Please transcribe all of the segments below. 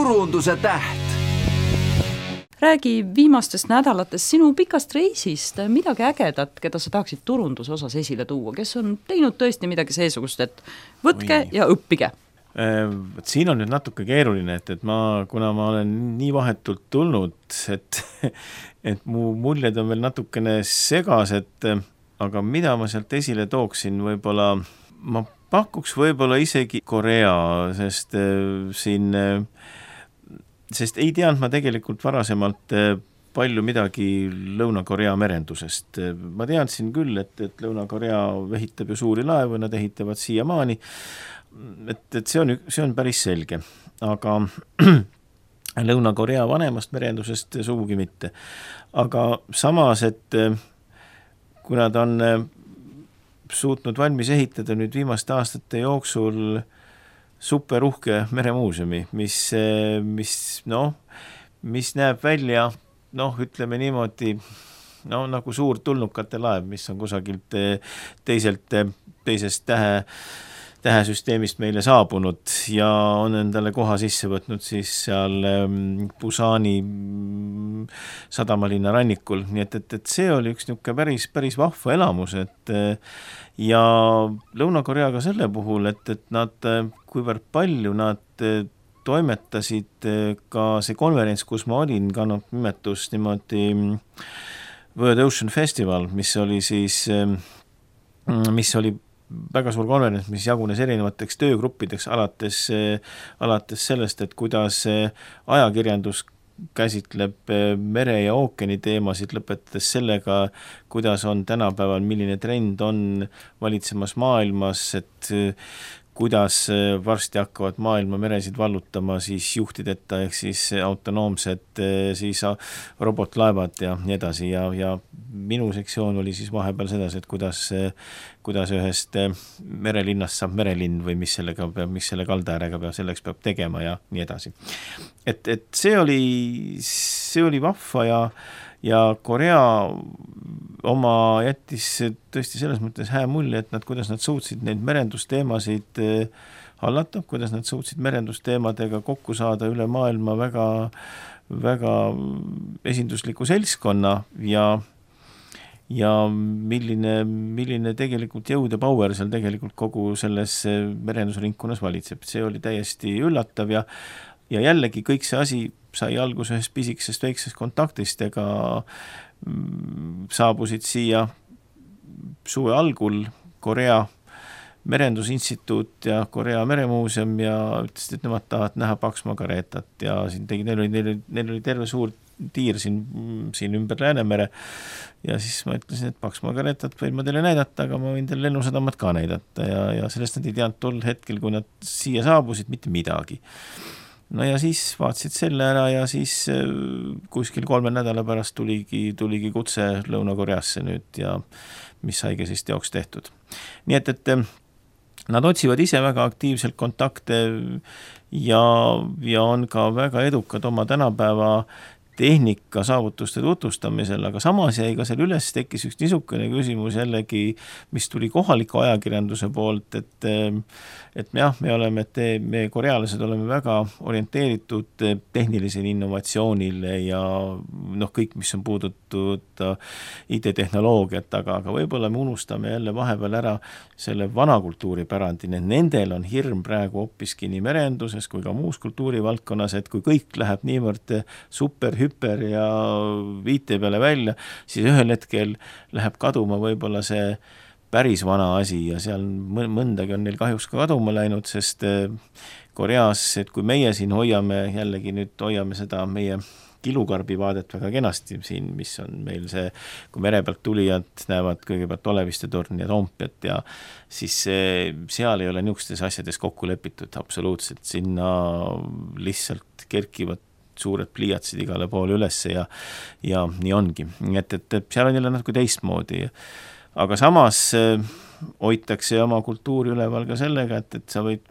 turunduse täht. Räägi viimastest nädalatest sinu pikast reisist, midagi ägedat, keda sa tahaksid turunduse osas esile tuua, kes on teinud tõesti midagi seesugust, et võtke ja õppige. Siin on nüüd natuke keeruline, et kuna ma olen nii vahetult tulnud, et mu muljed on veel natukene segased, aga mida ma sealt esile tooksin, võib-olla ma pakuks võib-olla isegi Korea, sest ei teadnud ma tegelikult varasemalt palju midagi Lõuna-Korea merendusest. Ma teadsin küll, et Lõuna-Korea ehitab ju suuri laevu, nad ehitavad siiamaani, et see on päris selge. Aga Lõuna-Korea vanemast merendusest sugugi mitte. Aga samas, et kui nad on suutnud valmis ehitada nüüd viimaste aastate jooksul superuhke meremuuseumi, mis näeb välja, ütleme niimoodi, nagu suur tulnukate laev, mis on kusagilt teisest tähesüsteemist meile saabunud ja on endale koha sisse võtnud siis seal Busani sadamalinna rannikul. Nii et see oli üks niisugune päris vahva elamus, ja Lõuna-Koreaga selle puhul, et nad, kuivõrd palju nad toimetasid ka see konverents, kus ma olin, kannab nimetus niimoodi World Ocean Festival, mis oli väga suur konverents, mis jagunes erinevateks töögruppideks alates sellest, et kuidas ajakirjandus käsitleb mere ja ookeani teemasid, lõpetades sellega, kuidas on tänapäeval, milline trend on valitsemas maailmas, et kuidas varsti hakkavad maailma meresid vallutama siis juhtideta ehk siis autonoomsed siis robotlaevad ja nii edasi ja minu sektsioon oli siis vahepeal sedasi, et kuidas ühest merelinnast saab merelinn või mis selle kaldaäärega selleks peab tegema ja nii edasi. Et see oli vahva ja Korea oma jättis tõesti selles mõttes hää mulje, et kuidas nad suutsid neid merendusteemasid hallata, kuidas nad suutsid merendusteemadega kokku saada üle maailma väga, väga esindusliku seltskonna ja milline tegelikult jõud ja power seal tegelikult kogu selles merendusringkonnas valitseb. See oli täiesti üllatav ja jällegi kõik see asi sai alguse ühest pisikesest väiksest kontaktist, ega saabusid siia suve algul Korea merendusinstituut ja Korea meremuuseum ja ütlesid, et nemad tahavad näha Pax Margaretat ja neil oli terve suur tiir siin ümber Läänemere ja siis ma ütlesin, et Pax Margaretat võin ma teile näidata, aga ma võin teile lennusadamat ka näidata ja sellest nad ei teadnud tol hetkel, kui nad siia saabusid, mitte midagi. No ja siis vaatasid selle ära ja siis kuskil 3 nädala pärast tuligi kutse Lõuna-Koreasse nüüd ja mis saigi siis teoks tehtud. Nii et nad otsivad ise väga aktiivselt kontakte ja on ka väga edukad oma tänapäeva tehnika saavutuste tutvustamisel, aga samas jäi ka seal üles tekkis üks niisugune küsimus jällegi, mis tuli kohaliku ajakirjanduse poolt, et me korealased oleme väga orienteeritud tehnilisele innovatsioonile ja kõik, mis on puudutud IT-tehnoloogiat, aga võib-olla me unustame jälle vahepeal ära selle vana kultuuripärandi, nendel on hirm praegu hoopiski nii merenduses kui ka muus kultuurivaldkonnas, et kui kõik läheb niivõrd hüper ja viite peale välja, siis ühel hetkel läheb kaduma võib-olla see päris vana asi ja seal mõndagi on neil kahjuks ka kaduma läinud, sest Koreas, et kui meie siin hoiame seda meie kilukarbi vaadet väga kenasti siin, mis on meil see, kui mere pealt tulijad näevad kõigepealt Oleviste torni ja Toompeat ja siis seal ei ole niisugustes asjades kokku lepitud absoluutselt, sinna lihtsalt kerkivad suured pliiatsid igale poole ülesse ja nii ongi. Et seal on jälle natuke teistmoodi. Aga samas hoitakse oma kultuuri üleval ka sellega, et sa võid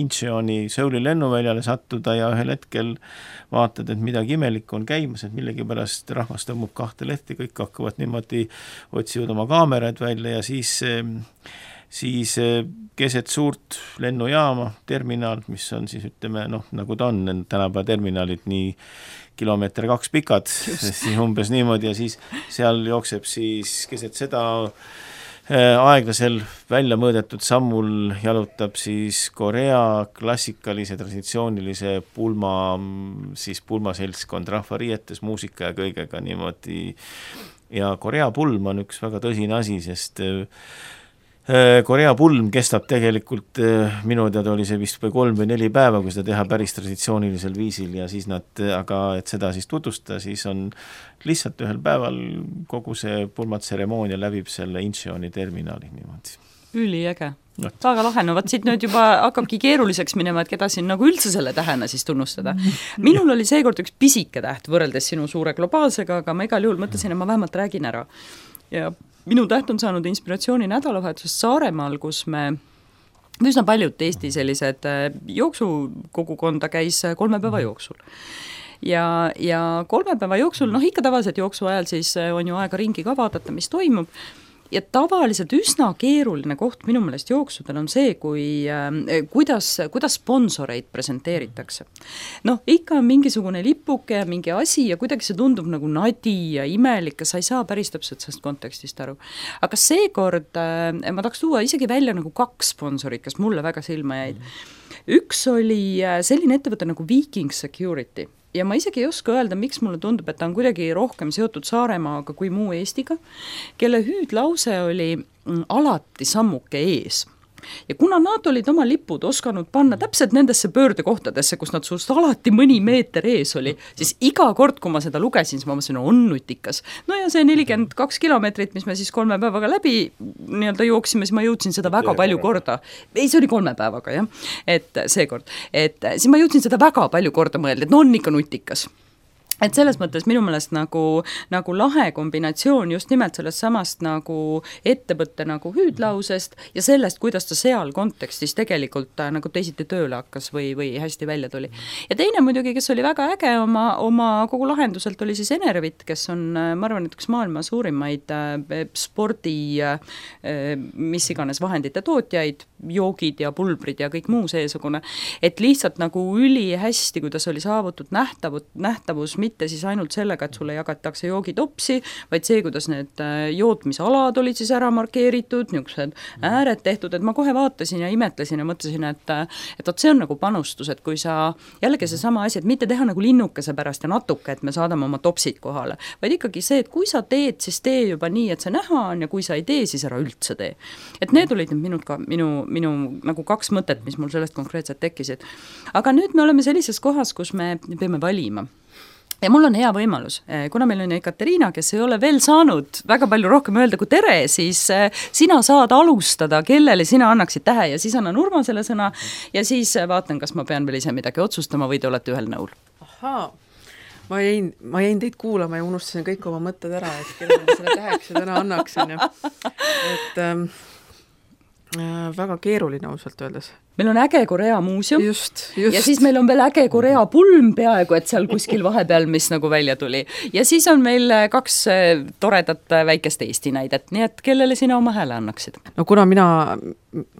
Incheoni Seuli lennuväljale sattuda ja ühel hetkel vaatad, et midagi imelikku on käimas, et millegipärast rahvas tõmbub 2 lehti, kõik hakkavad niimoodi, otsivad oma kaamerad välja ja siis siis keset suurt lennujaama, terminal, mis on siis ütleme, nagu ta on, tänapäeva terminalid nii kilomeeter 2 pikad, siis umbes niimoodi ja siis seal jookseb siis keset seda aeglasel välja mõõdetud sammul jalutab siis Korea klassikalise traditsioonilise pulmaseltskond rahvariietes, muusika ja kõigega niimoodi. Ja Korea pulm on üks väga tõsine asi, sest Korea pulm kestab tegelikult, minu teada oli see vist 3 või 4 päeva, kui seda teha päris traditsioonilisel viisil ja siis aga et seda siis tutvustada, siis on lihtsalt ühel päeval kogu see pulmatseremoonia läbib selle Incheoni terminali niimoodi. Üliäge. Väga lahe, no siit nüüd juba hakkabki keeruliseks minema, et keda siin nagu üldse selle tähena siis tunnustada. Minul oli seekord üks pisike täht võrreldes sinu suure globaalsega, aga ma igal juhul mõtlesin, et ma vähemalt räägin ära. Ja minu täht on saanud inspiratsiooni nädalavahetusest Saaremaal, kus me üsna paljud Eesti sellised jooksukogukonda käis 3 päeva jooksul. Ja 3 päeva jooksul, ikka tavaliselt jooksu ajal siis on ju aega ringi ka vaadata, mis toimub. Ja tavaliselt üsna keeruline koht minu meelest jooksudel on see, kuidas sponsoreid presenteeritakse. Ikka on mingisugune lipuke ja mingi asi ja kuidagi see tundub nagu nadi ja imelik ja sa ei saa päris täpselt sellest kontekstist aru. Aga seekord ma tahaks tuua isegi välja nagu 2 sponsorit, kes mulle väga silma jäid. Üks oli selline ettevõte nagu Viking Security. Ja ma isegi ei oska öelda, miks mulle tundub, et ta on kuidagi rohkem seotud Saaremaaga kui muu Eestiga, kelle hüüdlause oli alati sammuke ees. Ja kuna nad olid oma lipud osanud panna täpselt nendesse pöördekohtadesse, kus nad suust alati mõni meeter ees oli, siis iga kord, kui ma seda lugesin, siis ma mõtlesin, on nutikas. No ja see 42 kilomeetrit, mis me siis 3 päevaga läbi jooksime, siis ma jõudsin seda väga palju korda. Ei, see oli 3 päevaga, jah. Et seekord. Siis ma jõudsin seda väga palju korda mõelda, et on ikka nutikas. Et selles mõttes minu meelest nagu lahe kombinatsioon just nimelt sellest samast nagu ettevõtte nagu hüüdlausest ja sellest, kuidas ta seal kontekstis tegelikult nagu teisiti tööle hakkas või hästi välja tuli. Ja teine muidugi, kes oli väga äge oma kogu lahenduselt, oli siis Enervit, kes on, ma arvan, et üks maailma suurimaid spordi mis iganes vahendite tootjaid, joogid ja pulbrid ja kõik muu seesugune, et lihtsalt nagu üli hästi, kuidas oli saavutud nähtavus, mitte siis ainult sellega, et sulle jagatakse joogitopsi, vaid see, kuidas need jootmisalad olid siis ära markeeritud, niisugused ääred tehtud, et ma kohe vaatasin ja imetlesin ja mõtlesin, et see on nagu panustus, et kui sa jällegi see sama asi, et mitte teha nagu linnukese pärast ja natuke, et me saadame oma topsid kohale, vaid ikkagi see, et kui sa teed, siis tee juba nii, et see näha on ja kui sa ei tee, siis ära üldse tee. Et need olid minu nagu 2 mõtet, mis mul sellest konkreetselt tekkisid. Aga nüüd me oleme sellises kohas, kus me peame valima. Ja mul on hea võimalus, kuna meil on Ekaterina, kes ei ole veel saanud väga palju rohkem öelda kui tere, siis sina saad alustada, kellele sina annaksid tähe ja siis annan Urmasele sõna ja siis vaatan, kas ma pean veel ise midagi otsustama või te olete ühel nõul. Ahaa, ma jäin teid kuulama ja unustasin kõik oma mõtted ära, et kellele selle täheks ja täna annaksin. Et väga keeruline ausalt öeldes. Meil on äge Korea muuseum just. Ja siis meil on veel äge Korea pulm peaaegu, et seal kuskil vahepeal, mis nagu välja tuli. Ja siis on meil 2 toredat väikest Eesti näidet, nii et kellele sina oma hääle annaksid? No kuna mina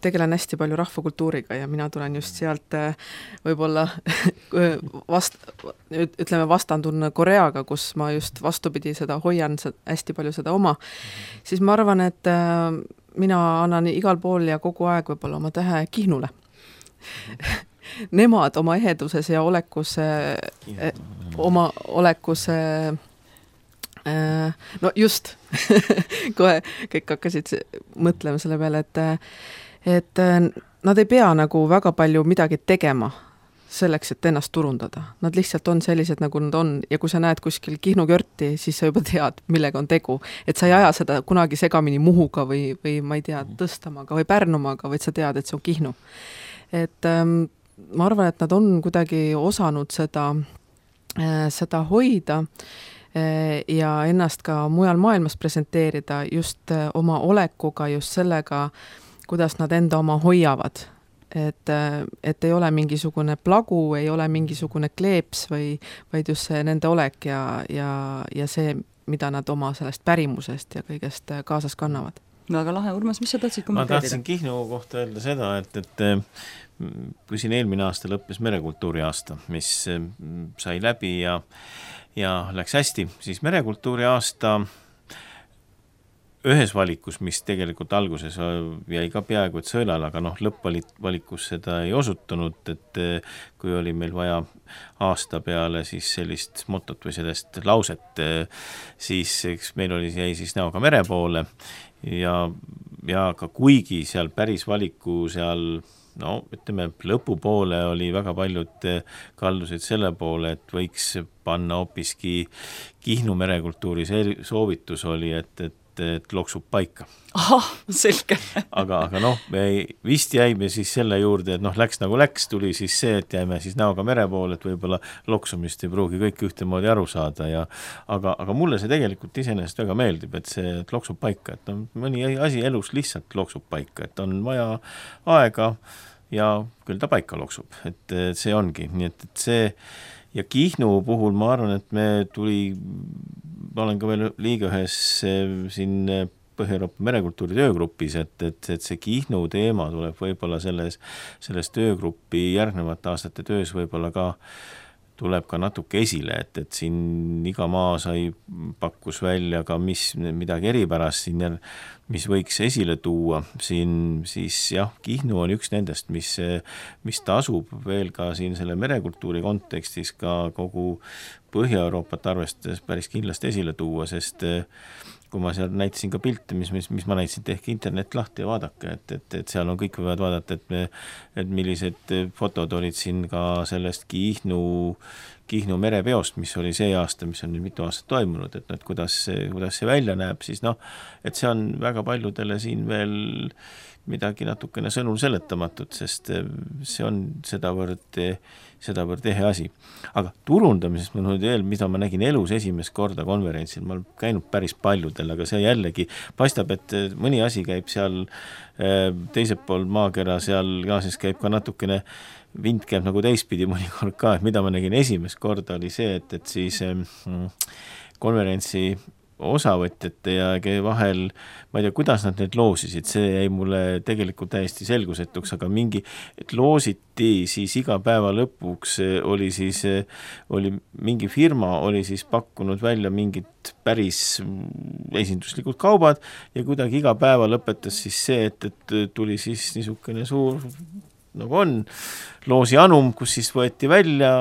tegelen hästi palju rahvakultuuriga ja mina tulen just sealt võib-olla vastandun Koreaga, kus ma just vastupidi seda hoian hästi palju seda oma, siis ma arvan, et mina annan igal pool ja kogu aeg võib-olla oma tähe Kihnule. Nemad oma eheduses ja oma olekuse no just kohe kõik hakkasid mõtlema selle peale, et nad ei pea nagu väga palju midagi tegema selleks, et ennast turundada. Nad lihtsalt on sellised, nagu nad on ja kui sa näed kuskil Kihnu Körti, siis sa juba tead, millega on tegu. Et sa ei aja seda kunagi segamini Muhuga või ma ei tea, Tõstamaga või Pärnumaga, vaid sa tead, et see on Kihnu. Et ma arvan, et nad on kuidagi osanud seda hoida ja ennast ka mujal maailmas presenteerida just oma olekuga, just sellega, kuidas nad enda oma hoiavad. Et ei ole mingisugune plagu, ei ole mingisugune kleeps, vaid just see nende olek ja see, mida nad oma sellest pärimusest ja kõigest kaasas kannavad. Väga lahe, Urmas, mis sa tahtsid ma kommenteerida? tahtsin Kihnu kohta öelda seda, et kui siin eelmine aasta lõppes merekultuuri aasta, mis sai läbi ja läks hästi, siis merekultuuri aasta ühes valikus, mis tegelikult alguses jäi ka peaaegu et sõelal, aga lõppvalikus seda ei osutunud, et kui oli meil vaja aasta peale siis sellist motot või sellest lauset, siis eks meil jäi siis näoga mere poole ja ka kuigi seal päris valiku seal ütleme, lõpupoole oli väga paljud kaldusid selle poole, et võiks panna hoopiski Kihnu merekultuuri soovitus oli, et loksub paika. Ahah, selge. aga me vist jäime siis selle juurde, et läks nagu läks, tuli siis see, et jäime siis näoga mere poole, et võib-olla loksumist ei pruugi kõik ühtemoodi aru saada aga mulle see tegelikult iseenesest väga meeldib, et see et loksub paika, et mõni asi elus lihtsalt loksub paika, et on vaja aega ja küll ta paika loksub, et see ongi, nii et see ja Kihnu puhul ma arvan, et ma olen ka veel liiga ühes siin Põhja-Euroopa merekultuuri töögrupis, et see Kihnu teema tuleb võib-olla selles töögrupi järgnevate aastate töös võib-olla ka tuleb ka natuke esile, et siin iga maa pakkus välja ka midagi eripärast siin, mis võiks esile tuua siin, siis jah, Kihnu on üks nendest, mis tasub veel ka siin selle merekultuuri kontekstis ka kogu Põhja-Euroopat arvestades päris kindlasti esile tuua, sest kui ma seal näitasin ka pilte, mis ma näitasin, tehke internet lahti ja vaadake, et seal on kõik võivad vaadata, et millised fotod olid siin ka sellest Kihnu merepeost, mis oli see aasta, mis on nüüd mitu aastat toimunud, et kuidas see välja näeb, siis et see on väga paljudele siin veel midagi natukene sõnul seletamatut, sest see on sedavõrd ehe asi. Aga turundamisest ma veel, mida ma nägin elus esimest korda konverentsil, ma olen käinud päris paljudel, aga see jällegi paistab, et mõni asi käib seal teiselt pool maakera, seal gaasis käib ka natukene, vind käib nagu teistpidi mõnikord ka, et mida ma nägin esimest korda oli see, et siis konverentsi osavõtjate ja vahel, ma ei tea, kuidas nad need loosisid, see jäi mulle tegelikult täiesti selgusetuks, aga et loositi siis iga päeva lõpuks oli mingi firma, oli siis pakkunud välja mingid päris esinduslikud kaubad ja kuidagi iga päeva lõpetas siis see, et tuli siis niisugune suur nagu on, loosi anum, kus siis võeti välja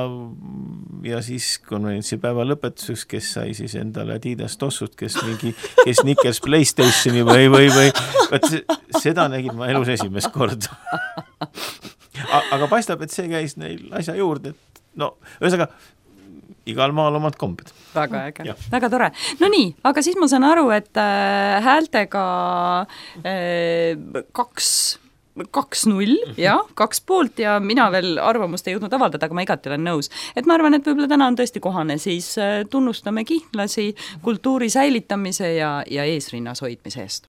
ja siis konverentsipäeva lõpetuseks, kes sai siis endale Adidas tossut, kes Snickers PlayStationi või seda nägin ma elus esimest korda. Aga paistab, et see käis neil asja juurde, et ühesõnaga igal maal omad kombed. Väga äge, väga tore. No nii, aga siis ma saan aru, et häältega 2-0 ja 2 poolt ja mina veel arvamust ei jõudnud avaldada, aga ma igati olen nõus. Et ma arvan, et võib-olla täna on tõesti kohane, siis tunnustame kihnlasi kultuuri säilitamise ja eesrinnas hoidmise eest.